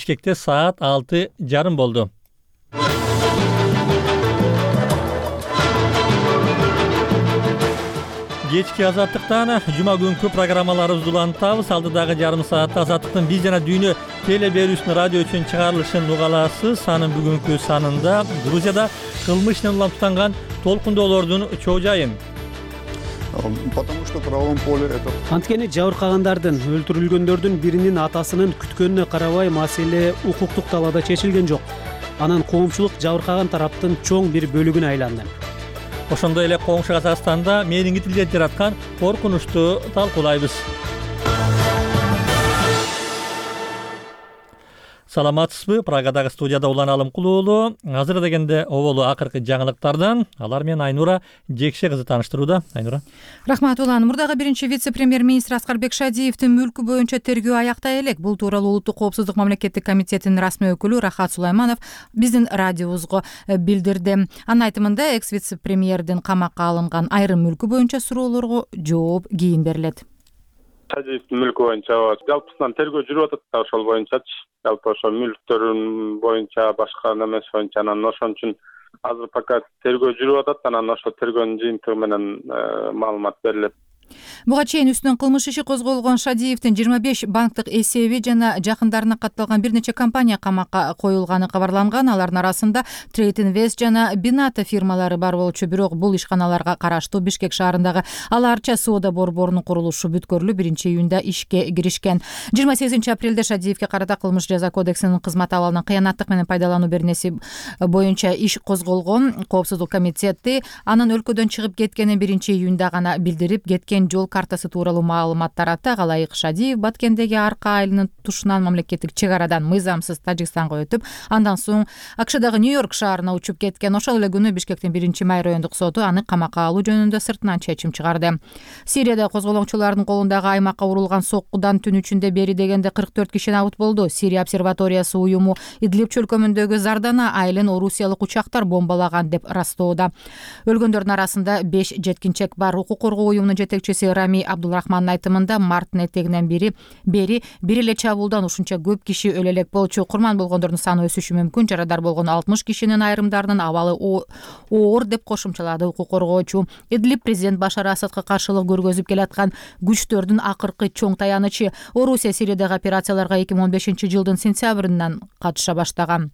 Бишкекте саат 6:30 болду. Кечки азаттыктан жума күнкү программаларыбызды улантабыз. Алдыдагы жарым саатта азаттыктын биз жана дүйнө теле берүүсүнүн радио үчүн чыгарылышын угаласыз. Анын бүгүнкү санында Грузияда кылмыш менен улантылган толкундоолордун чоо жайын. Потому что в правом поле это. Анткени жабыркагандардын, өлтүрүлгөндөрдүн биринин атасынын күткөнүнө карабай маселе укуктук талаада чечилген жок. Анан коомчулук жабыркаган тараптын чоң бир бөлүгүнө айланды. Ошондой эле коңшу Казакстанда менингитилер жараткан коркунучту талкуулайбыз. Саламатсызбы? Прагадагы студияда Улан Алымкулуу уулу. Азыр дегенде оболу акыркы жаңылыктардан алар менен Айнура Жекше кызы тааныштырууда. Айнура. Рахмат Улан. Мурдагы биринчи вице-премьер-министр Аскарбек Шадиевдин мүлкү боюнча тергөө аяктай элек. Бул тууралуу Улуттук коопсуздук мамлекеттик комитетинин расмий өкүлү Рахат Сулайманов биздин радиобузга билдирди. Анын айтымында экс-вице-премьердин камакка алынган айрым мүлкү боюнча суроолорго жооп кийин берилет. Шадиевдин мүлкү боюнча жалпысынан тергөө жүрүп атат да, ошол боюнчачы. Жалпы ошо мүлктөрүн боюнча, башка немеси боюнча, анан ошон үчүн азыр пока тергөө жүрүп атат, анан ошо тергөөнүн жыйынтыгы менен маалымат берилет. Буга чейин үстүнөн кылмыш иши козголгон Шадиевдин 25 банктык эсеби жана жакындарына катталган бир нече компания камакка коюлганы кабарланган. Алардын арасында Trade Invest жана Binata фирмалары бар болчу. Бирок бул ишканаларга караштуу Бишкек шаарындагы Аларча соода борборунун курулушу бүткөрүлүп, 1-июнда ишке киришкен. 28-апрелде Шадиевге карата кылмыш жаза кодексинин кызмат абалынан кыянаттык менен пайдалануу беренеси боюнча иш козголгон. Коопсуздук комитети анын өлкөдөн чыгып кеткенин 1-июнда гана билдирип, кеткен жол картасы тууралуу маалымат таратты. Галайык Шадиев Баткендеги Арка айылынын тушунан мамлекеттик чек арадан мыйзамсыз Тажикстанга өтүп, андан соң АКШдагы Нью-Йорк шаарына учуп кеткен. Ошол эле күнү Бишкектин 1-май райондук соту аны камакка алуу жөнүндө сыртынан чечим чыгарды. Сирияда козголоңчулардын колундагы аймакка урулган соккудан түн ичинде бери дегенде 44 киши набыт болду. Сирия обсерваториясы уюму Идлиб чөлкөмүндөгү Зардана айылын орусиялык учактар бомбалаган деп растоодо. Өлгөндөрдүн арасында 5 жеткинчек бар. Укук коргоо уюмунун жетекчиси Рами Абдулрахмандын айтымында марттын этегинен бери бир эле чабуулдан ушунча көп киши өлө элек болчу. Курман болгондордун саны өсүшү мүмкүн. Жарадар болгон 60 кишинин айрымдарынын абалы оор деп кошумчалады укук коргоочу. Идлиб президент Башар Асадка каршылык көргөзүп келаткан күчтөрдүн акыркы чоң таянычы. Орусия Сириядагы операцияларга 2015-жылдын сентябрынан катыша баштаган.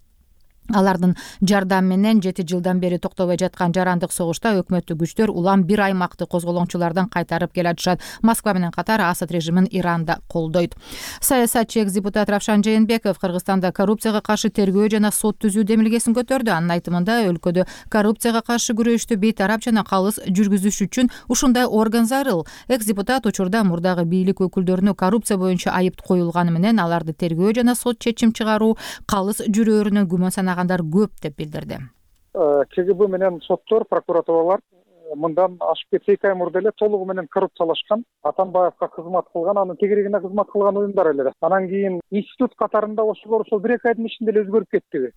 Алардын жардамы менен 7 жылдан бери токтобой жаткан жарандык согушта өкмөттүк күчтөр улам бир аймакты козголоңчулардан кайтарып келатышат. Москва менен катар Асад режимин Иранда колдойт. Саясатчы экс-депутат Равшан Жээнбеков Кыргызстанда коррупцияга каршы тергөө жана сот түзүү демилгесин көтөрдү. Анын айтымында өлкөдө коррупцияга каршы күрөштү бейтарап жана калыс жүргүзүш үчүн ушундай орган зарыл. Экс-депутат учурда мурдагы бийлик өкүлдөрүнө коррупция боюнча айып коюлганы менен аларды тергөө жана сот чечим чыгаруу калыс жүрөөрүнөн күмөн санагандар көп деп билдирди. КГБ менен соттор, прокуратуралар мындан ашып кетсе 2 ай мурда эле толугу менен коррупциялашкан, Атамбаевга кызмат кылган, анын тегерегине кызмат кылган уюмдар эле. Анан кийин институт катарында ошолор 1-2 айдын ичинде эле өзгөрүп кеттиби?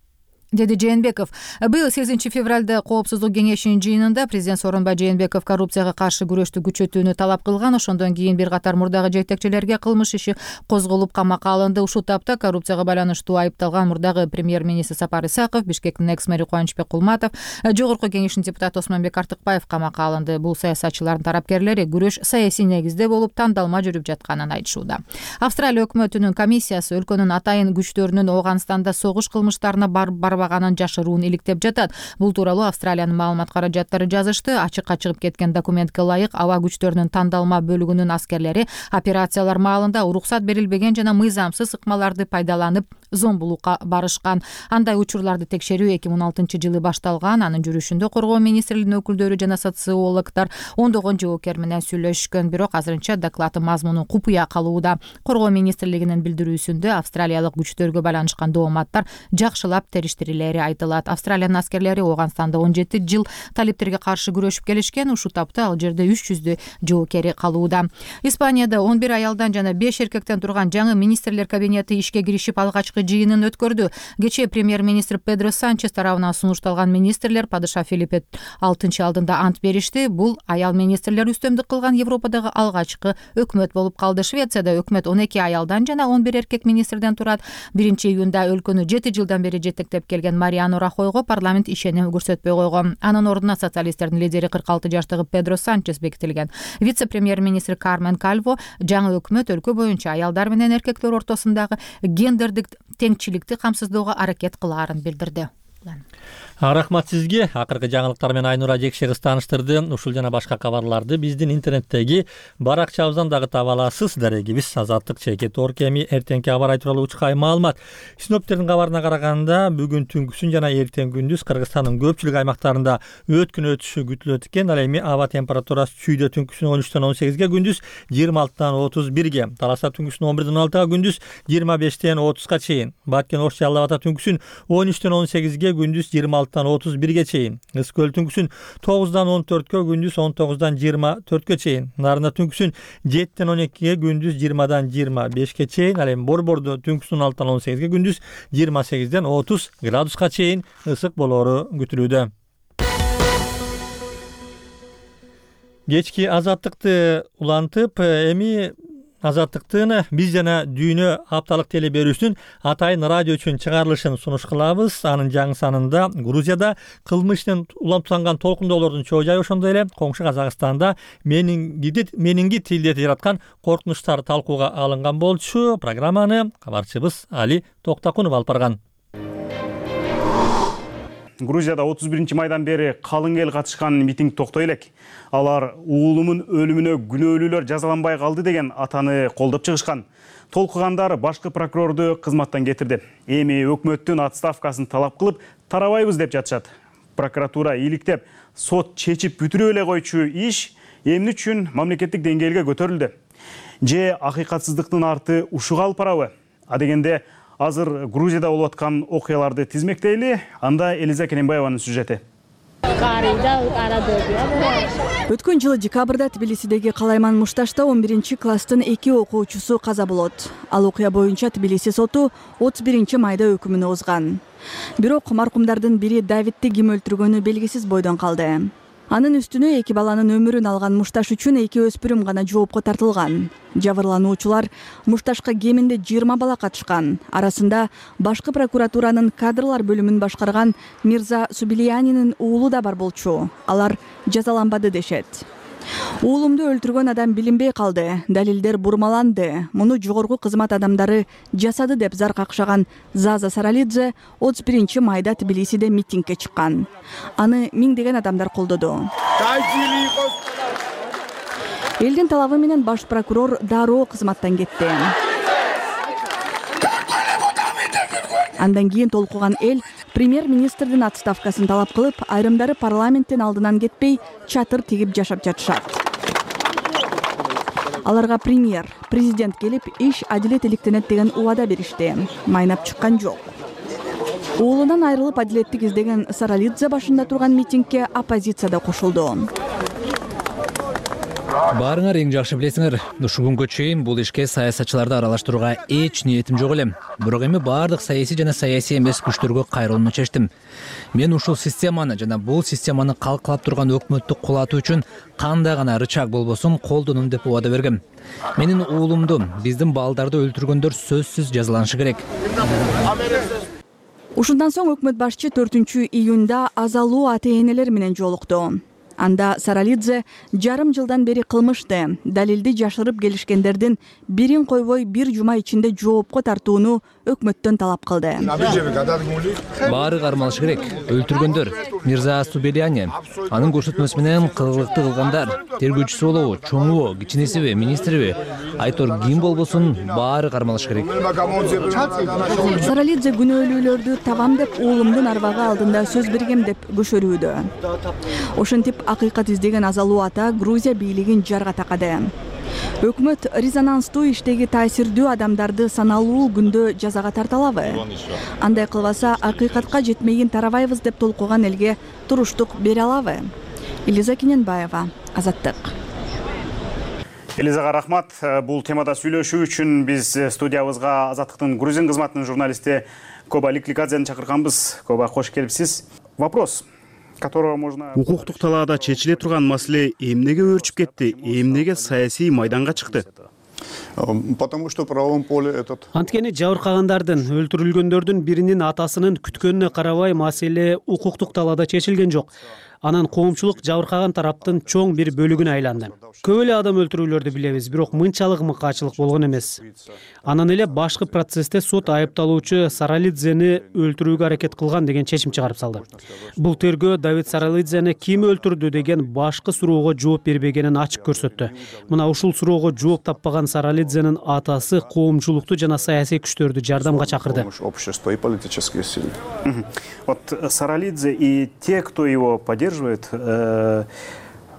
Деди Жээнбеков. Быйыл 8-февралда коопсуздук кеңешинин жыйынында президент Сооронбай Жээнбеков коррупцияга каршы күрөштү күчөтүүнү талап кылган. Ошондон кийин бир катар мурдагы жетекчилерге кылмыш иши козголуп камакка алынды. Ушул тапта коррупцияга байланыштуу айыпталган мурдагы премьер-министр Сапар Исаков, Бишкектин экс-мэри Кубанычбек Кулматов, Жогорку кеңештин депутаты Осмонбек Артыкбаев камакка алынды. Бул саясатчылардын тарапкерлери күрөш саясий негизде болуп тандалма жүрүп жатканын айтышууда. Австралия өкмөтүнүн комиссиясы өлкөнүн атайын күчтөрүнүн Ооганстанда согуш кылмыштарына барбаганын жашыруун иликтеп жатат. Бул тууралуу Австралиянын маалымат каражаттары жазышты. Ачыкка чыгып кеткен документке ылайык аба күчтөрүнүн тандалма бөлүгүнүн аскерлери операциялар маалында уруксат берилбеген жана мыйзамсыз ыкмаларды пайдаланып зомбулукка барышкан. Андай учурларды текшерүү 2016-жылы башталган. Анын жүрүшүндө коргоо министрлигинин өкүлдөрү жана социологдор ондогон жоокер менен сүйлөшкөн. Бирок азырынча докладдын мазмуну купуя калууда. Коргоо министрлигинин билдирүүсүндө австралиялык күчтөргө байланышкан дооматтар жакшылап териштирилген берилери айтылат. Австралиянын аскерлери Ооганстанда 17 жыл талиптерге каршы күрөшүп келишкен. Ушул тапта ал жерде 300 жоокери калууда. Испанияда 11 аялдан жана 5 эркектен турган жаңы министрлер кабинети ишке киришип алгачкы жыйынын өткөрдү. Кечээ премьер-министр Педро Санчес тарабынан сунушталган министрлер падыша Филиппе 6 алдында ант беришти. Бул аял министрлер үстөмдүк кылган Европадагы алгачкы өкмөт болуп калды. Швецияда өкмөт 12 аялдан жана 11 эркек министрден турат. 1-июнда өлкөнү 7 жылдан бери жетектеп келген Мариано Рахойго парламент ишеним көрсөтпөй койгон. Анын ордуна социалисттердин лидери 46 жаштагы Педро Санчес бекитилген. Вице-премьер-министр Кармен Кальво жаңы өкмөт өлкө боюнча аялдар менен эркектер ортосундагы гендердик теңчиликти камсыздоого аракет кылаарын билдирди. Рахмат сизге. Акыркы жаңылыктар менен Айнура Жекшегиз тааныштырды. Ушул жана башка кабарларды биздин интернеттеги баракчабыздан дагы таба аласыз. Дарегибиз Азаттык чекит Оркеми эртеңки аба ырайы тууралуу учкай маалымат. Синоптиктердин кабарына караганда бүгүн түнкүсүн жана эртең күндүз Кыргызстандын көпчүлүк аймактарында өткүн өтүшү күтүлөт экен. Ал эми аба температурасы чүйдө түнкүсүн 13-тен 18-ге, күндүз 26-тан 31-ге, Таласта түнкүсүн 11-ден 16-га, күндүз 25-тен 30-га чейин, Баткен Ош Жалал Абада түнкүсүн 13-тен 18-ге, күндүз 26-тан 31-ге чейин, Ыс көл түнкүсүн 9-дан 14-кө, күндүз 19-дан 24-кө чейин, Нарында түнкүсүн 7-тен 12-ге, күндүз 20-дан 25-ке чейин, ал эми Борбордо түнкүсүн 16-тан 18-ге, күндүз 28-ден 30 градуска чейин ысык болоору күтүлүүдө. Кечки Азаттыкты улантып, эми Азаттыктын биз жана дүйнө апталык теле берүүсүнүн атайын радио үчүн чыгарылышын сунуш кылабыз. Анын жаңы санында Грузияда кылмыштын улантылган толкундоолордун чоо жайы, ошондой эле коңшу Казакстанда менингит илдети жараткан коркунучтар талкууга алынган болчу. Программаны кабарчыбыз Али Токтакунов алып барган. Грузияда 31 майдан бери калың эл катышкан митинг токтой элек. Алар уулумун өлүмүнө күнөөлүүлөр жазаланбай калды деген атаны колдоп чыгышкан. Толкугандар башкы прокурорду кызматтан кетирди. Эми өкмөттүн отставкасын талап кылып тарабайбыз деп жатышат. Прокуратура иликтеп, сот чечип бүтүрүп эле койчу иш эмне үчүн мамлекеттик деңгээлге көтөрүлдү? Же акыйкатсыздыктын арты ушуга алып барабы? Адегенде азыр Грузияда болуп аткан окуяларды тизмектейли. Анда Элиза Керенбаеванын сюжети. Өткөн жылы декабрда Тбилисидеги Калайман Мушташта 11-класстын 2 окуучусу каза болот. Ал окуя боюнча Тбилиси соту 31 майда өкүмүн озган. Бирок маркумдардын бири Давидти ким өлтүргөнү белгисиз бойдон калды. Анын үстүнө 2 баланын өмүрүн алган Мушташ үчүн 2 өспүрүм гана жоопко тартылган. Жабырлануучулар Мушташка кеминде 20 бала катышкан. Арасында башкы прокуратуранын кадрлар бөлүмүн башкарган Мирза Субилиянинин уулу да бар болчу. Алар жазаланбады дешет. Уулумду өлтүргөн адам билинбей калды, далилдер бурмаланды. Муну жогорку кызмат адамдары жасады деп зар какшаган Заза Саралидзе 31 майда Тбилисиде митингге чыккан. Аны миңдеген адамдар колдоду. Элдин талабы менен баш прокурор дароо кызматтан кетти. Андан кийин толкуган эл премьер-министрдин отставкасын талап кылып, айрымдары парламенттин алдынан кетпей чатыр тигип жашап жатышат. Аларга президент келип, иш адилет иликтенет деген убада беришти. Майнап чыккан жок. Уулунан айрылып адилеттик издеген Саралидзе башында турган митингге оппозицияда кошулду. Баарыңар эң жакшы билесиңер, ушул күнгө чейин бул ишке саясатчыларды аралаштырууга эч ниетим жок эле. Бирок эми баардык саясий жана саясий эмес күчтөргө кайрылууну чечтим. Мен ушул системаны жана бул системаны калкалап турган өкмөттү кулатуу үчүн кандай гана рычаг болбосун колдонум деп убада бергем. Менин уулумду, биздин балдарды өлтүргөндөр сөзсүз жазаланышы керек. Ушундан соң өкмөт башчы 4-июнда азалуу ата-энелер менен жолукту. Анда Саралидзе жарым жылдан бери кылмышты, далилди жашырып келишкендердин бирин койбой бир жума ичинде жоопко тартууну өкмөттөн талап кылды. Баары кармалышы керек. Өлтүргөндөр Мирза Субилияни, анын көрсөтмөсү менен кылгылыкты кылгандар, тергөөчүсү болобу, чоңубу, кичинесиби, министриби, айтор ким болбосун, баары кармалышы керек. Саралидзе күнөөлүүлөрдү табам деп уулумдун арбагы алдында сөз бергем деп көшөрүүдө. Ошентип акыйкат издеген азалуу ата Грузия бийлигин жарга такады. Өкмөт резонанстуу иштеги таасирдүү адамдарды саналуу күндө жазага тарталабы? Андай кылбаса акыйкатка жетмейин тарабайбыз деп толкуган элге туруштук бере алабы? Элиза Кененбаева, Азаттык. Элизага рахмат. Бул темада сүйлөшүү үчүн биз студиябызга Азаттыктын Грузин кызматынын журналисти Коба Ликликадзени чакырганбыз. Коба, кош келипсиз. Вопрос, которого можно... Укуктук талаада чечиле турган маселе эмнеге өөрчүп кетти? Эмнеге саясий майданга чыкты? Потому что в правовом поле этот... Анткени жабыркагандардын, өлтүрүлгөндөрдүн биринин атасынын күткөнүнө карабай маселе укуктук талаада чечилген жок. Анан коомчулук жабыркаган тараптын чоң бир бөлүгүнө айланды. Көп эле адам өлтүрүүлөрдү билебиз, бирок мынчалык мыкаачылык болгон эмес. Анан эле башкы процессте сот айыпталуучу Саралидзени өлтүрүүгө аракет кылган деген чечим чыгарып салды. Бул тергөө Давид Саралидзени ким өлтүрдү деген башкы суроого жооп бербегенин ачык көрсөттү. Мына ушул суроого жооп таппаган Саралидзенин атасы коомчулукту жана саясий күчтөрдү жардамга чакырды. Общество и политические силы. Вот Саралидзе и те, кто его поддерживает,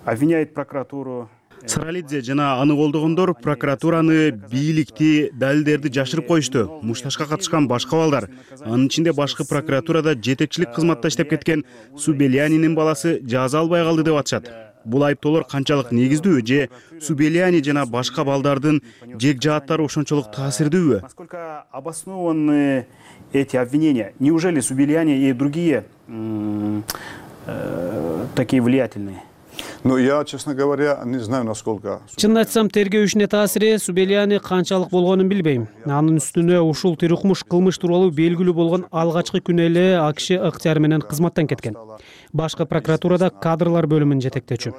обвиняет прокуратуру. Саралидзе жана аны колдогондор прокуратураны, бийликти, далилдерди жашырып коюшту. Мушташка катышкан башка балдар, анын ичинде башкы прокуратурада жетекчилик кызматта иштеп кеткен Субелянинин баласы жаза албай калды деп атышат. Бул айыптоолор канчалык негиздүү же Субеляни жана башка балдардын жек жааттары ошончолук таасирдүүбү? Насколько обоснованы эти обвинения? Неужели Субеляни и другие такие влиятельные? Ну, я, честно говоря, не знаю, насколько... Чынын айтсам, тергөө ишине таасири Субеляни канчалык болгонун билбейм. Анын үстүнө ушул тирукмуш кылмыш тууралуу белгилүү болгон алгачкы күнү эле АКШ ыктыяры менен кызматтан кеткен. Башкы прокуратурада кадрлар бөлүмүн жетектечү.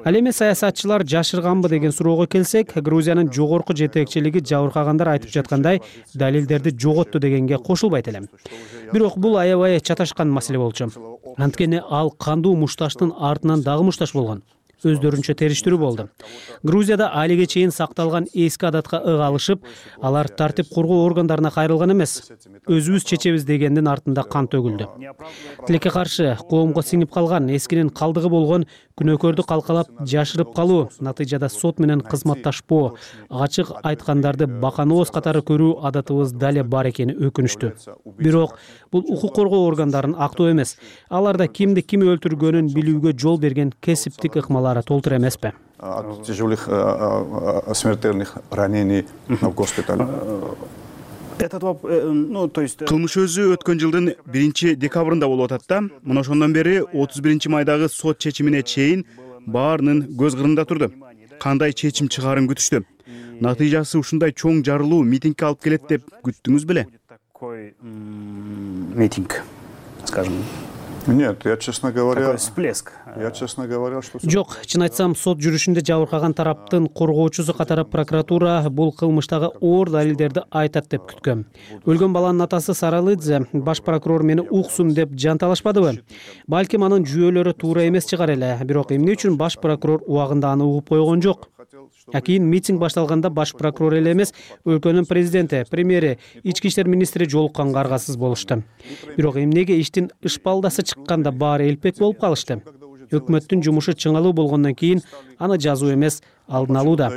Ал эми саясатчылар жашырганбы деген суроого келсек, Грузиянын жогорку жетекчилиги жабыркагандар айтып жаткандай далилдерди жоготту дегенге кошулбайт элем. Бирок бул аябай чаташкан маселе болчу. Анткени ал кандуу мушташтын артынан дагы мушташ болгон. Өздөрүнчө териштирүү болду. Грузияда алиге чейин сакталган эски адатка ык алышып, алар тартип коргоо органдарына кайрылган эмес. Өзүбүз чечебиз дегендин артында кан төгүлдү. Тилекке каршы коомго сиңип калган эскинин калдыгы болгон күнөөкөрдү калкалап жашырып калуу, натыйжада сот менен кызматташпоо, ачык айткандарды баканооз катары көрүү адатыбыз дале бар экени өкүнүчтүү. Бирок бул укук коргоо органдарынын актоо эмес. Аларда кимди ким өлтүргөнүн билүүгө жол берген кесиптик ыкмалары толтур эмеспи? От тяжелых смертельных ранений в госпитале. Кылмыш өзү өткөн жылдын 1-декабрында болуп атат да. Мына ошондон бери 31-майдагы сот чечимине чейин баарынын көз кырында турду. Кандай чечим чыгаарын күтүштү. Натыйжасы ушундай чоң жарылуу митингге алып келет деп күттүңүз беле? Такой митинг, скажем. Нет, я, честно говоря... Такой всплеск. Я, честно говоря, что... Жок, чын айтсам, сот жүрүшүндө жабыркаган тараптын коргоочусу катары прокуратура бул кылмыштагы оор далилдерди айтат деп күткөн. Өлгөн баланын атасы Саралидзе баш прокурор мени уксун деп жанталашпадыбы? Балким анын жүйөлөрү туура эмес чыгар эле, бирок эмне үчүн баш прокурор убагында аны угуп койгон жок? Кийин митинг башталганда баш прокурор эле эмес, өлкөнүн президенти, премьери, ички иштер министри жолукканга аргасыз болушту. Бирок эмнеге иштин ышпалдасы чыкканда баары элпек болуп калышты? Өкмөттүн жумушу чыңалуу болгондон кийин аны жазуу эмес, алдын алууда.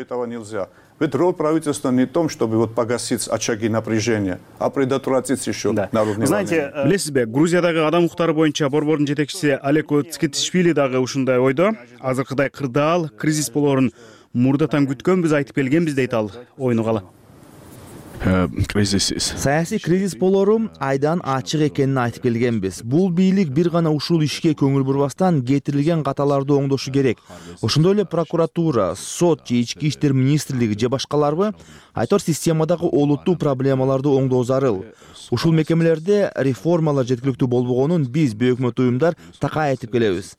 Ведь роль правительства не в том, чтобы вот погасить очаги напряжения, а предотвратить еще народные волнения. Знаете, билесизби, Грузиядагы адам укуктары боюнча борбордун жетекчиси Алеко Цкитишвили дагы ушундай ойдо. Азыркыдай кырдаал, кризис болоорун мурдатан күткөнбүз, айтып келгенбиз дейт ал. Ойну кала. Саясий кризис болору айдан ачык экенин айтып келгенбиз. Бул бийлик бир гана ушул ишке көңүл бурбастан кетирилген каталарды оңдошу керек. Ошондой эле прокуратура, сот же ички иштер министрлиги же башкаларбы айтор системадагы олуттуу проблемаларды оңдоо зарыл. Ушул мекемелерде реформалар жеткиликтүү болбогонун биз бейөкмөт уюмдар такай айтып келебиз.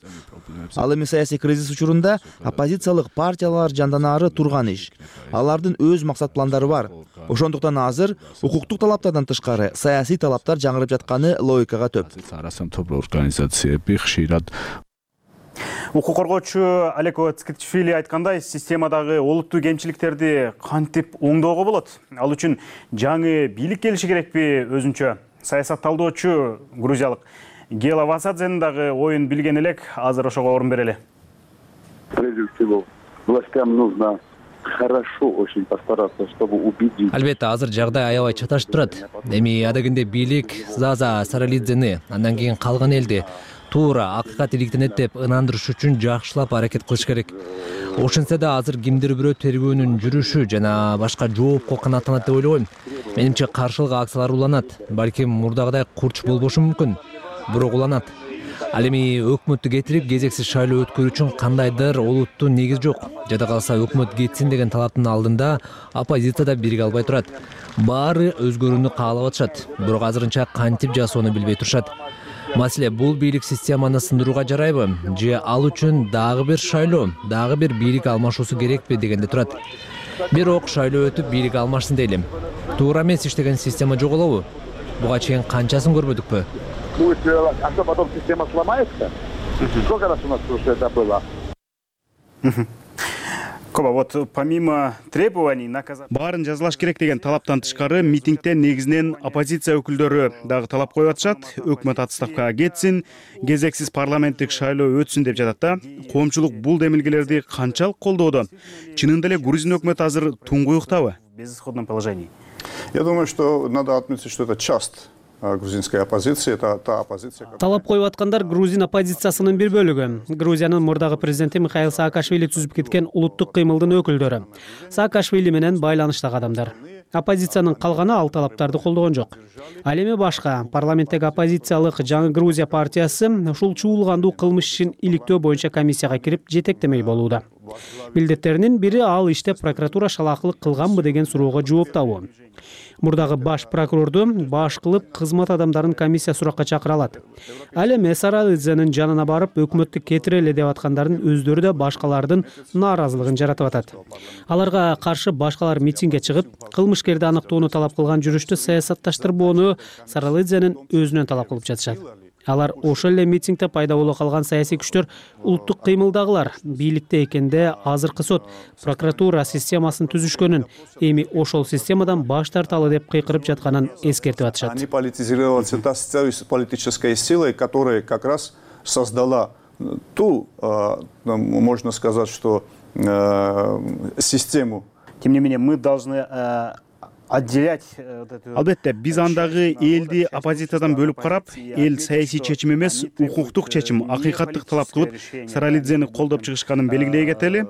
Ал эми саясий кризис учурунда оппозициялык партиялар жанданары турган иш. Алардын өз максат пландары бар. Ошондуктан азыр укуктук талаптардан тышкары саясий талаптар жаңырып жатканы логикага төп. Укук коргоочу Алеко Цкитишвили айткандай, системадагы олуттуу кемчиликтерди кантип оңдоого болот? Ал үчүн жаңы бийлик келиши керекпи өзүнчө? Саясатталдоочу грузиялык Гела Васадзенин дагы оюн билген элек, азыр ошого орун берели. Прежде всего, властям нужно хорошо очень постараться, чтобы убедить. Албетте азыр жагдай аябай чаташып турат. Эми адегенде бийлик Заза Саралидзени, андан кийин калган элди туура акыйкат иликтенет деп ынандырыш үчүн жакшылап аракет кылыш керек. Ошентсе да азыр кимдир бирөө тергөөнүн жүрүшү жана башка жоопко канааттанат деп ойлойм. Менимче каршылык акциялар уланат. Балким мурдагыдай курч болбошу мүмкүн, бирок уланат. Ал эми өкмөттү кетирип кезексиз шайлоо өткөрүү үчүн кандайдыр олуттуу негиз жок. Жада калса өкмөт кетсин деген талаптын алдында оппозиция да бириге албай турат. Баары өзгөрүүнү каалап атышат, бирок азырынча кантип жасоону билбей турушат. Маселе бул бийлик системаны сындырууга жарайбы же ал үчүн дагы бир шайлоо, дагы бир бийлик алмашуусу керекпи дегенде турат. Бирок шайлоо өтүп бийлик алмашсын дейли. Туура эмес иштеген система жоголобу? Буга чейин канчасын көрбөдүкпү? А что потом система сломается? Сколько раз у нас уже это было? Коба, вот помимо требований баарын жазалаш керек деген талаптан тышкары митингде негизинен оппозиция өкүлдөрү дагы талап коюп атышат. Өкмөт отставкага кетсин, кезексиз парламенттик шайлоо өтсүн деп жатат да. Коомчулук бул демилгелерди канчалык колдоодо? Чынында эле Грузин өкмөтү азыр туңгуюктабы? В безысходном положении. Я думаю, что надо отметить, что это часть грузинской оппозиции, это та оппозиция. Талап коюп аткандар грузин оппозициясынын бир бөлүгү. Грузиянын мурдагы президенти Михаил Саакашвили түзүп кеткен улуттук кыймылдын өкүлдөрү. Саакашвили менен байланыштагы адамдар. Оппозициянын калганы ал талаптарды колдогон жок. Ал эми башка парламенттеги оппозициялык Жаңы Грузия партиясы ушул чуулгандуу кылмыш ишин иликтөө боюнча комиссияга кирип жетектемей болууда. Милдеттеринин бири ал иште прокуратура шалаакылык кылганбы деген суроого жооп табуу. Мурдагы баш прокурорду баш кылып кызмат адамдарын комиссия суракка чакыра алат. Ал эми Саралидзенин жанына барып өкмөттү кетирели деп аткандардын өздөрү да башкалардын нааразылыгын жаратып атат. Аларга каршы башкалар митингге чыгып, кылмышкерди аныктоону талап кылган жүрүштү саясатташтырбоону Саралидзенин өзүнөн талап кылып жатышат. Алар ошол эле митингде пайда боло калган саясий күчтөр улуттук кыймылдагылар бийликте экенде азыркы сот, прокуратура системасын түзүшкөнүн, эми ошол системадан баш тарталы деп кыйкырып жатканын эскертип атышат. Они политизировались политической силой, которая как раз создала ту, можно сказать, что систему. Тем не менее, мы должны отделять. Албетте, биз андагы элди оппозициядан бөлүп карап, эл саясий чечим эмес, укуктук чечим, акыйкаттык талап кылып, Саралидзени колдоп чыгышканын белгилей кетели.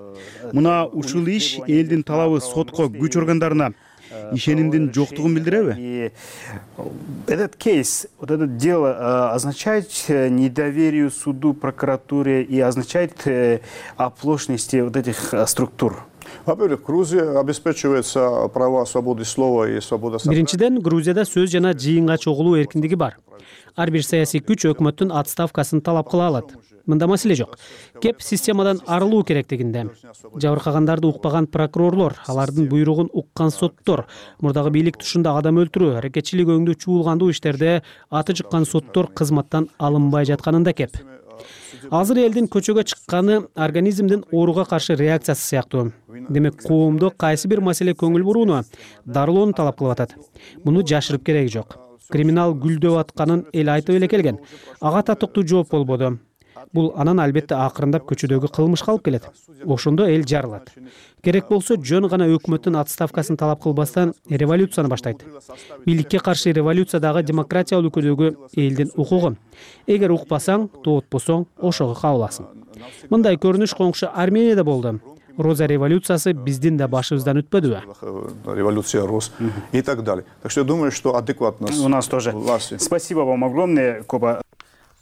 Мына ушул иш элдин талабы сотко, күч органдарына ишенимдин жоктугун билдиреби? Этот кейс, вот это дело означает недоверие суду, прокуратуре и означает оплошности вот этих структур. Во-первых, Грузия обеспечивается права свободы слова и свобода собрания. Биринчиден, Грузияда сөз жана жыйынга чогулуу эркиндиги бар. Ар бир саясий күч өкмөттүн отставкасын талап кыла алат. Мында маселе жок. Кеп системадан арылуу керектигинде. Жабыркагандарды укпаган прокурорлор, алардын буйругун уккан соттор, мурдагы бийлик тушунда адам өлтүрүү, аракетчилик өңдүү чуулгандуу иштерде аты чыккан соттор кызматтан алынбай жатканында кеп. Азыр элдин көчөгө чыкканы организмдин ооруга каршы реакциясы сыяктуу. Демек, коомдо кайсы бир маселе көңүл бурууну, дарылоону талап кылып атат. Муну жашырып кереги жок. Криминал гүлдөп атканын эл айтып эле келген. Ага татыктуу жооп болбоду. Бул анан албетте акырындап көчөдөгү кылмышка алып келет. Ошондо эл жарылат. Керек болсо жөн гана өкмөттүн отставкасын талап кылбастан революцияны баштайт. Бийликке каршы революция дагы демократия өлкөдөгү элдин укугу. Эгер укпасаң, тоотпосоң, ошого кабыласың. Мындай көрүнүш коңшу Арменияда болду. Роза революциясы биздин да башыбыздан өтпөдүбү? Революция Роз и так далее. Так что я думаю, что адекватность у нас тоже. Спасибо вам огромное, Коба.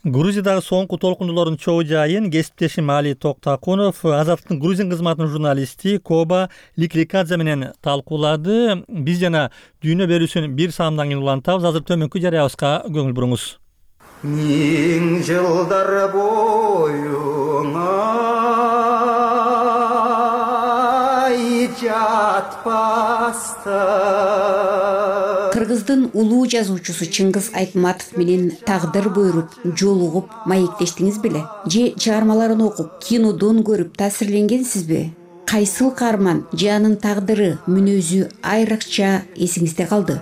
Грузиядагы соңку толкундуулордун чогуу жайын кесиптешим Али Токтакунов, Азаттыктын грузин кызматынын журналисти Коба Ликликадзе менен талкуулады. Биз жана дүйнө берүүсүн бир саамдан кийин улантабыз. Азыр төмөнкү жарыябызга көңүл буруңуз. Миң жылдар боюңа жатпаста. Кыргыздын улуу жазуучусу Чыңгыз Айтматов менен тагдыр буйруп, жолугуп, маектештиңиз беле? Же чыгармаларын окуп, кинодон көрүп таасирленгенсизби? Кайсыл каарман же анын тагдыры, мүнөзү айрыкча эсиңизде калды?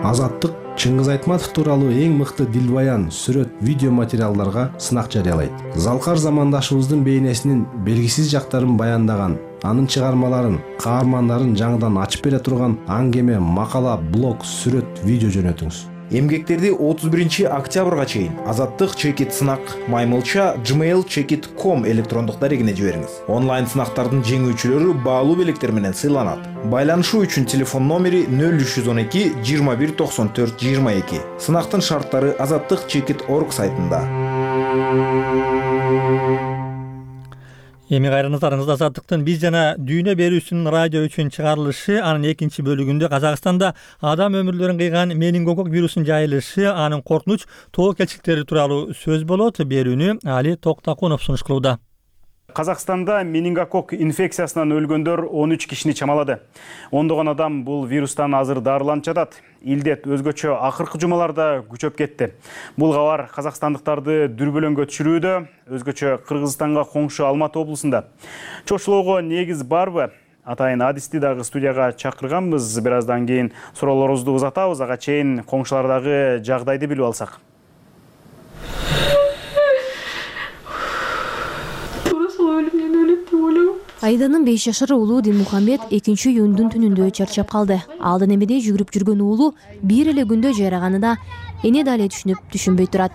Азаттык Чыңгыз Айтматов тууралуу эң мыкты дилбаян, сүрөт, видео материалдарга сынак жарыялайт. Залкар замандашыбыздын бейнесинин белгисиз жактарын баяндаган анын чыгармаларын, каармандарын жаңыдан ачып бере турган аңгеме, макала, блог, сүрөт, видео жөнөтүңүз. Эмгектерди 31 октябрга чейин Азаттык чекит сынак маймылча gmail.com электрондук дарегине жибериңиз. Онлайн сынактардын жеңүүчүлөрү баалуу белектер менен сыйланат. Байланышуу үчүн телефон номери 0312 21 94 22. Сынактын шарттары Азаттык чекит.org сайтында. Эми кайрыңыздарыңызда Азаттыктын биз жана дүйнө берүүсүнүн радио үчүн чыгарылышы, анын экинчи бөлүгүндө Казакстанда адам өмүрлөрүн кыйган менингокок вирусунун жайылышы, анын коркунуч тобокелчиликтери тууралуу сөз болот. Берүүнү Али Токтакунов сунуш кылууда. Казакстанда менингокок инфекциясынан өлгөндөр 13 кишини чамалады. Ондогон адам бул вирустан азыр дарыланып жатат. Илдет өзгөчө акыркы жумаларда күчөп кетти. Бул кабар казакстандыктарды дүрбөлөңгө түшүрүүдө, өзгөчө Кыргызстанга коңшу Алматы облусунда. Чочулоого негиз барбы? Атайын адисти дагы студияга чакырганбыз. Бир аздан кийин суроолорубузду узатабыз. Ага чейин коңшулардагы жагдайды билип алсак. Айданын 5 жашар уулу Динмухаммед 2-июндун түнүндө чарчап калды. Алдын эмеде жүгүрүп жүргөн уулу бир эле күндө жайраганына эне дале түшүнбөй турат.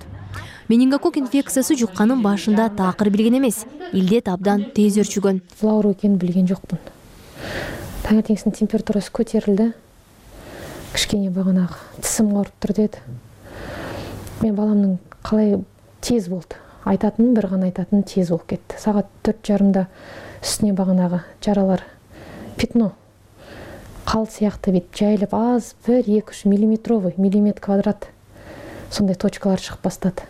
Менингокок инфекциясы жукканын башында такыр билген эмес. Илдет абдан тез өрчүгөн. Бул оору экенин билген жокмун. Таңертеңсин температурасы көтерилди. Кичкене баганагы тисим ооруптур деді. Мен баламдын калай тез болду. Айтатын бир гана айтатын тез болуп кетти. Саат 4:30 үстүнө баганагы жаралар пятно кал сыяктуу бит жайылып аз 1-2 миллиметр квадрат сондай точкалар чыгып баштады.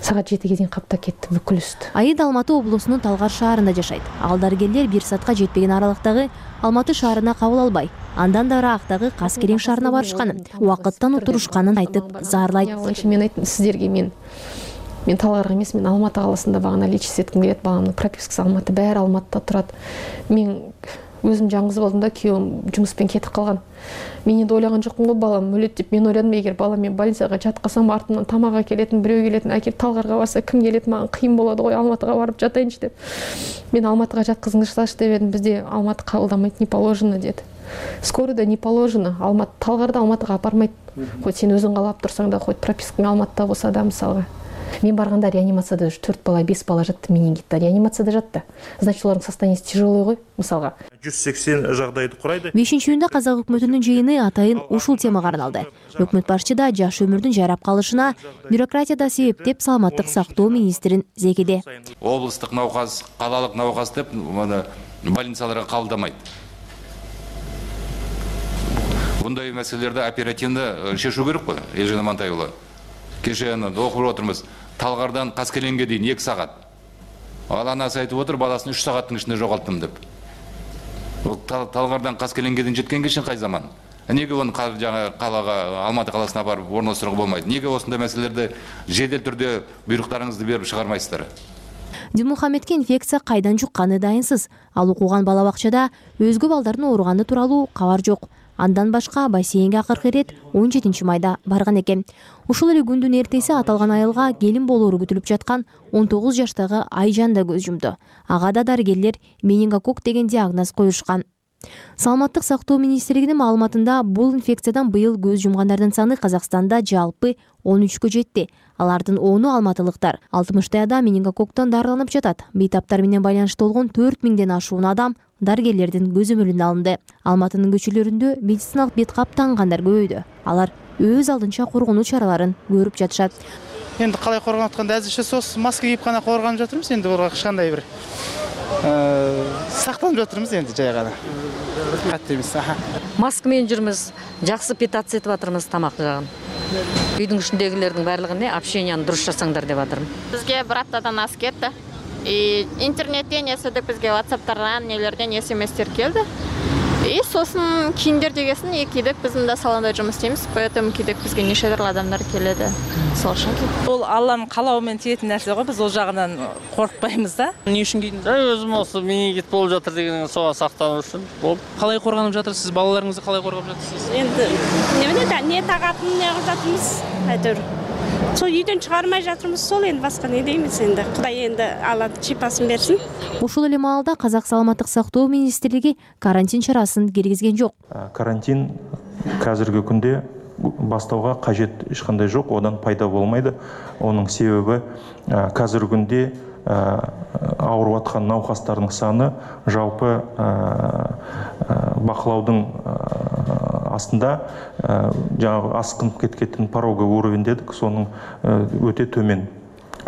Саат 7-ге чейин каптап кетти бүкүл үстү. Айд Алматы облусунун Талгар шаарында жашайт. Ал дарыгерлер 1 саатка жетпеген аралыктагы Алматы шаарына кабыл албай, андан да ыраагытагы Каскелең шаарына барышканын, убакыттан утурушканын айтып зарлайт. Мен айттым сиздерге, мен Талгарга эмес, мен Алматы каласында багана лечиться этким келет. Баламдын пропискасы Алматы, баары Алматыда турат. Мен өзүм жаңгыз болдум да, күйөөм жумуспен кетип калган. Мен энди ойлогон жокмун го балам өлөт деп. Мен ойладым, эгер балам мен больницага жаткасам, артымдан тамак келетин, бирөө келетин, акип Талгарга барса ким келет, мага кыйын болот го, Алматыга барып жатайынчы деп. Мен Алматыга жаткызыңызчылачы деп едим. Бизде Алматы кабылдамайт, не положено деди. Скорыйда не положено. Алматы Талгарда Алматыга апармайт. Хоть сен өзүң калап турсаң да, хоть пропискаң Алматыда болсо да, мисалга. Мен барганда реанимацияда 4 бала, 5 бала жатты, менингитте. Реанимацияда жатты. Значит, олардын состояниясы тяжелый го, мисалга. 180 жагдайды курайды. 5-июнда казак өкмөтүнүн жыйыны атайын ушул темага арналды. Өкмөт башчы да жаш өмүрдүн жайрап калышына бюрократияда себептеп саламаттык сактоо министрин зекеде. Облустук науказ, калалык науказ деп больницаларга кабылдамайт. Bunday meselelerde оперативно шешу керек қой, Елжан Амантайұлы. Кеше оқып отырмыз, Талгардан Каскелеңге дейін 2 сағат. Ал анасы айтып отыр, баласын 3 сағаттың ішінде жоғалттым деп. Талгардан Каскелеңге дейін жеткен кешен қай заман? Неге оны қалаға, Алматы қаласына барып орналастыруға болмайды? Неге осындай мәселелерді жедел түрде бұйрықтарыңызды беріп шығармайсыздар? Динмухаммедке инфекция кайдан жукканы дайынсыз. Ал окуган бала бакчада өзгө балдардын ооруганы тууралуу кабар жок. Андан башка бассейнге акыркы ирет 17 майда барган экен. Ушул эле күндүн эртеси аталган айылга келин болоору күтүлүп жаткан 19 жаштагы Айжан да көз жумду. Ага да дарыгерлер менингокок деген диагноз коюшкан. Саламаттык сактоо министрлигинин маалыматында бул инфекциядан быйыл көз жумгандардын саны Казакстанда жалпы 13кө жетти. Алардын 10-у алматылыктар. 60 адам менингококтон дарыланып жатат. Бейтаптар менен байланышта болгон 4000ден ашуун адам дарыгерлердин көз өмүрүнө алынды. Алматынын көчөлөрүндө медициналык бет кап таңгандар көбөйдү. Алар өз алдынча коргонуу чараларын көрүп жатышат. Енді қалай қорғанып жатқанда әзірше сос маска киіп қана қорғанып жатырмыз. Енді оларға ешқандай бір сақтанып жатырмыз енді жай ғана. Қатты емес. Маскамен жүрміз, жақсы питаться етіп жатырмыз тамақ жағын. Үйдің ішіндегілердің барлығын общенияны дұрыс жасаңдар деп жатырмын. Бізге бір аптадан асып кетті. Интернеттен естідік, бізге WhatsApp-тардан нелерден SMS-тер келді. Сосын киімдер дегесін кидік, біздің де салонда жұмыс істейміз, поэтому кидік бізге нешедір адамдар келеді. Сол үшін кидік. Ол Алланың қалауымен тиетін нәрсе ғой, біз ол жағынан қорықпаймыз да. Не үшін кидіңіз? Өзім осы менингит болып жатыр дегеннен соға сақтану үшін. Қалай қорғанып жатырсыз? Балаларыңызды қалай қорғап жатырсыз? Енді не тағатын не қылып жатырмыз, әйтеуір. Сол үйдөн чыгармай жатырмыз, сол энди башка не деймиз энди. Кудай энди алат шипасын берсин. Ушул эле маалда Казак саламаттык сактоо министрлиги карантин чарасын киргизген жок. Карантин қазіргі күнде бастауға қажет ешқандай жоқ, одан пайда болмайды. Оның себебі қазіргі күнде ауырып жатқан науқастардың саны жалпы бақылаудың астында, жаңағы асқынып кеткен пороговый уровень дедік, соның өте төмен.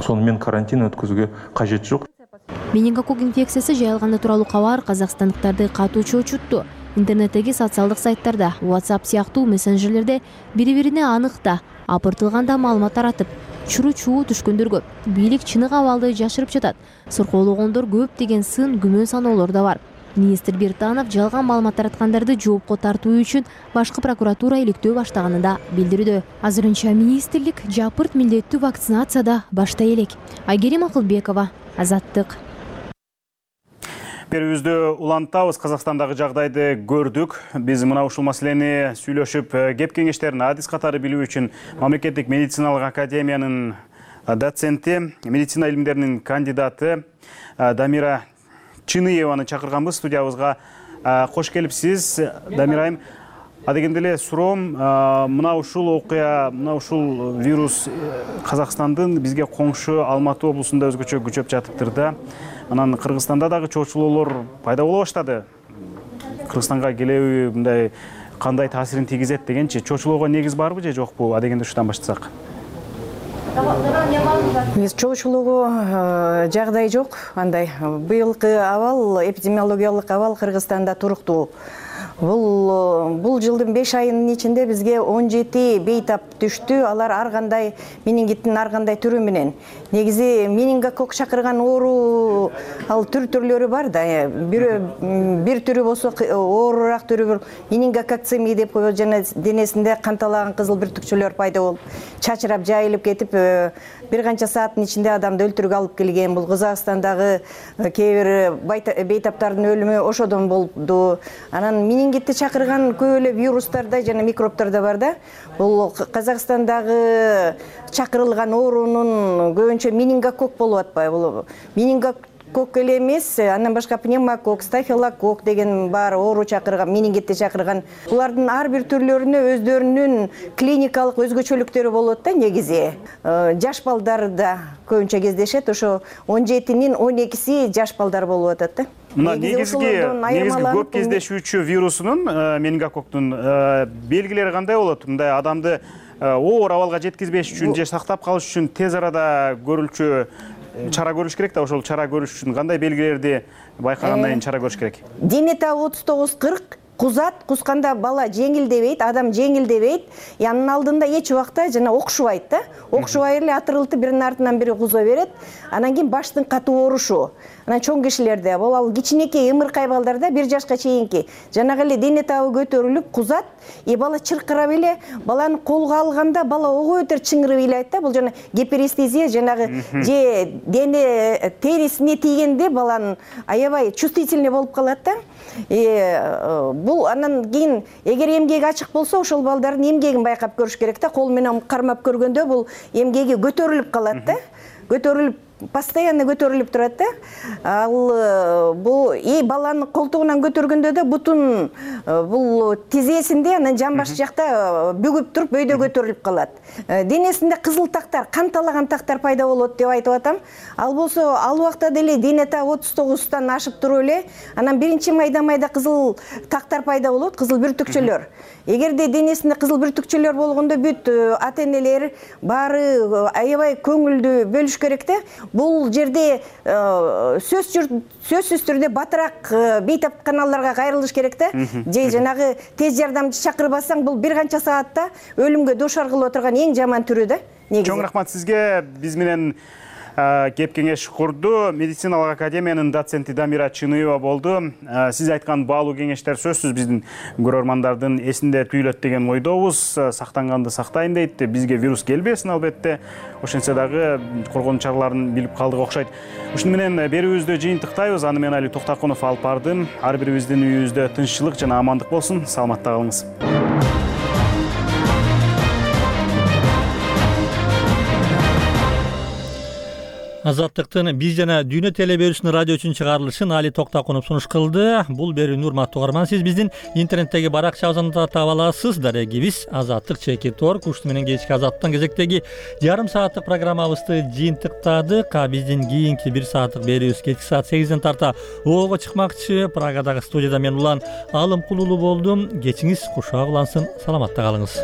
Сонымен карантин өткізуге қажет жоқ. Менингококк инфекциясы жайылганы тууралуу кабар казакстандыктарды катуу чочутту. Интернеттеги социалдык сайттарда, WhatsApp сыяктуу мессенджерлерде бири-бирине аныкта, апыртылганда маалымат таратып, чуруу түшкөндөр көп. Бийлик чыныгы абалды жашырып жатат. Суркоологондор көп деген сын күмөн саноолор да бар. Министр Биртанов жалган маалымат тараткандарды жоопко тартуу үчүн башкы прокуратура иликтөө баштаганын да билдирүүдө. Азырынча министрлик жапырт милдеттүү вакцинацияда баштай элек. Айгерим Акылбекова, Азаттык. Берүүбүздө улантабыз, Казакстандагы жагдайды көрдүк. Биз мына ушул маселени сүйлөшүп, кеп кеңештерин адис катары билүү үчүн Мамлекеттик медициналык академиянын доценти, медицина илимдеринин кандидаты Дамира Чыныеваны чакырганбыз студиябызга. Кош келипсиз, Дамира айым. Адегенде эле суроом, мына ушул окуя, мына ушул вирус Казакстандын бизге коңшу Алматы облусунда өзгөчө күчөп жатыптыр да. Анан Кыргызстанда дагы чочулоолор пайда боло баштады. Кыргызстанга келеби мындай кандай таасирин тийгизет дегенчи, чочулоого негиз барбы же жокпу? Адегенде ушудан баштасак. Чочулоого жагдай жок. Андай быйылкы абал, эпидемиологиялык абал Кыргызстанда туруктуу. Бул жылдын 5 айынын ичинде бизге 17 бейтап түштү. Алар ар кандай менингиттин ар кандай түрү менен. Негизи менингококк чакырган оору ал түрлөрү бар да. Бир түрү болсо оорураак түрү менингококцемия деп коебуз, жана денесинде канталаган кызыл бүртүкчөлөр пайда болуп, чачырап жайылып кетип, бир канча сааттын ичинде адамды өлтүрүүгө алып келген. Бул Казакстандагы кээ бир бейтаптардын өлүмү ошодон болду. Анан менингитти чакырган көп эле вирустарда жана микробторда бар да. Бул Казакстандагы чакырылган оорунун көбүнчө менингококк болуп атпайбы? Бул менингококк эле эмес, андан башка пневмококк, стафилококк деген бар оору чакырган, менингитти чакырган. Булардын ар бир түрлөрүнө өздөрүнүн клиникалык өзгөчөлүктөрү болот да негизи. Жаш балдарда көбүнчө кездешет, ошо 17-нин 12-си жаш балдар болуп атат да. Мына негизги көп кездешүүчү вирусунун, менингококктун белгилери кандай болот? Мындай адамды оор абалга жеткизбеш үчүн же сактап калыш үчүн тез арада көрүлчү чара көрүш керек да, ошол чара көрүш үчүн кандай белгилерди байкагандан кийин чара көрүш керек? Дене табы 39-40 кузат, кусканда бала жеңилдебейт, адам жеңилдебейт. Анын алдында эч убакта жана окшубайт да. Окшубай эле атырылтып биринин артынан бири куза берет. Анан кийин баштын катуу оорушу. Анан чоң кишилерде, бул ал кичинекей ымыркай балдарда 1 жашка чейинки жанагы эле дене табы көтөрүлүп кузат, бала чыркырап эле, баланы колго алганда бала ого өтөр чыңырып ыйлайт да. Бул жана гиперестезия, жанагы же дене терисине тийгенде баланын аябай чувствительный болуп калат да. Бул анан кийин эгер эмгеги ачык болсо, ошол балдардын эмгегин байкап көрүш керек да. Кол менен кармап көргөндө бул эмгеги көтөрүлүп калат да. Көтөрүлүп, постоянно көтөрүлүп турат да. Ал бул баланын колтугунан көтөргөндө да бутун бул тизесинде, анан жамбаш жакта бүгүп туруп өйдө көтөрүлүп калат. Денесинде кызыл тактар, канталаган тактар пайда болот деп айтып атам. Ал болсо ал убакта деле дене табы 39-тан ашып туруп эле, анан биринчи майда кызыл тактар пайда болот, кызыл бүртүкчөлөр. Эгерде денесинде кызыл бүртүкчөлөр болгондо бүт ата-энелер баары аябай көңүлдүү бөлүш керек да. Бул жерде сөзсүз түрдө батыраак бейтап каналдарга кайрылыш керек да. Же жанагы тез жардамчы чакырбасаң, бул бир канча саатта өлүмгө дуушар кылып отурган эң жаман түрү да. Чоң рахмат сизге. Биз менен кеп кеңеш курду медициналык академиянын доценти Дамира Чыныева болду. Сиз айткан баалуу кеңештер сөзсүз биздин көрөрмандардын эсинде түйүлөт деген ойдобуз. Сактанганды сактайын дейт. Бизге вирус келбесин албетте. Ошентсе дагы коргонуу чараларын билип калдык окшойт. Ушуну менен берүүбүздү жыйынтыктайбыз. Аны мен Али Токтакунов алып бардым. Ар бирибиздин үйүбүздө тынччылык жана амандык болсун. Саламатта калыңыз. Азаттыктын биз жана дүйнө телеберүүсүнүн радио үчүн чыгарылышын Али Токтакунов сунуш кылды. Бул берүүнү урматтуу угарман, сиз биздин интернеттеги баракчабыздан таап аласыз. Дарегибиз Азаттык /org. Ушуну менен кечки Азаттыктын кезектеги жарым сааттык программабызды жыйынтыктадык. Биздин кийинки 1 сааттык берүүбүз кечки саат 8ден тарта ого чыкмакчы. Прагадагы студияда мен Улан Алым Кулулуу болдум. Кечиңиз кушак улансын. Саламатта калыңыз.